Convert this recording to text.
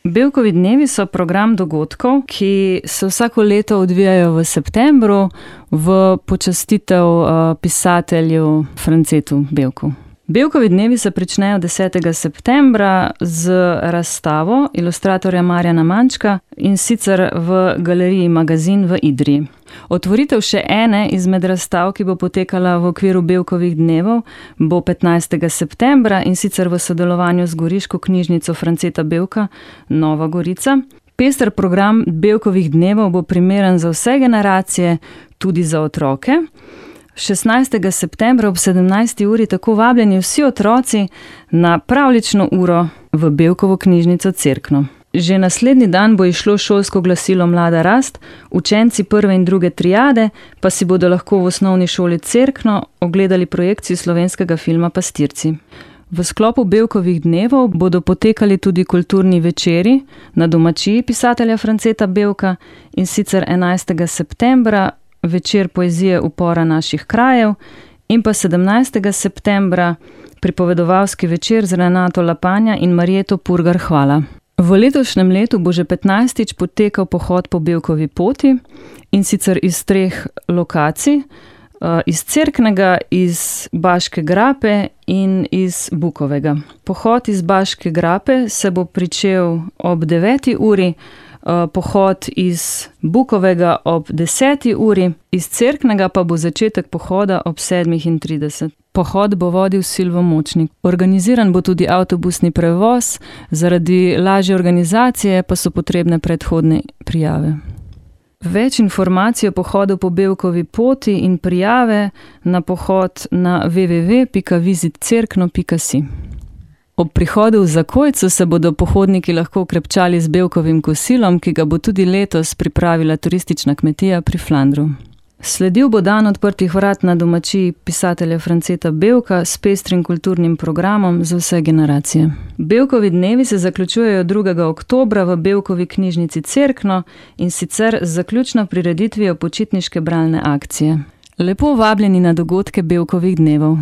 Bevkovi dnevi so program dogodkov, ki se vsako leto odvijajo v septembru v počastitev pisatelju Francetu Bevku. Bevkovi dnevi se pričnejo 10. septembra z razstavo ilustratorja Marjana Mančka, in sicer v galeriji Magazin v Idriji. Otvoritev še ene izmed razstav, ki bo potekala v okviru Bevkovih dnevov, bo 15. septembra, in sicer v sodelovanju z goriško knjižnico Franceta Bevka Nova Gorica. Pester program Bevkovih dnevov bo primeren za vse generacije, tudi za otroke. 16. septembra ob 17. uri tako vabljeni vsi otroci na pravljično uro v Bevkovo knjižnico Cerkno. Že naslednji dan bo išlo šolsko glasilo Mlada rast, učenci 1. in 2. triade pa si bodo lahko v osnovni šoli Cerkno ogledali projekcijo slovenskega filma Pastirci. V sklopu Bevkovih dnevov bodo potekali tudi kulturni večeri na domačiji pisatelja Franceta Bevka, in sicer 11. septembra večer poezije Upora naših krajev in pa 17. septembra pripovedovalski večer z Renato Lapanja in Marjeto Purgar Hvala. V letošnjem letu bo že 15. potekal pohod po Bevkovi poti, in sicer iz 3 lokacij, iz Cerknega, iz Baške grape in iz Bukovega. Pohod iz Baške grape se bo pričel ob 9. uri, pohod iz Bukovega ob 10. uri, iz Cerknega pa bo začetek pohoda ob 7:30. Pohod bo vodil Silvo Močnik. Organiziran bo tudi avtobusni prevoz, zaradi lažje organizacije pa so potrebne predhodne prijave. Več informacij o pohodu po Bevkovi poti in prijave na pohod na www.visitcerkno.si. Ob prihodu v Zakojcu se bodo pohodniki lahko okrepčali z Bevkovim kosilom, ki ga bo tudi letos pripravila turistična kmetija pri Flandru. Sledil bo dan odprtih vrat na domačiji pisatelja Franceta Bevka s pestrim kulturnim programom za vse generacije. Bevkovi dnevi se zaključujejo 2. oktobra v Bevkovi knjižnici Cerkno, in sicer z zaključno prireditvijo počitniške bralne akcije. Lepo vabljeni na dogodke Bevkovih dnevov.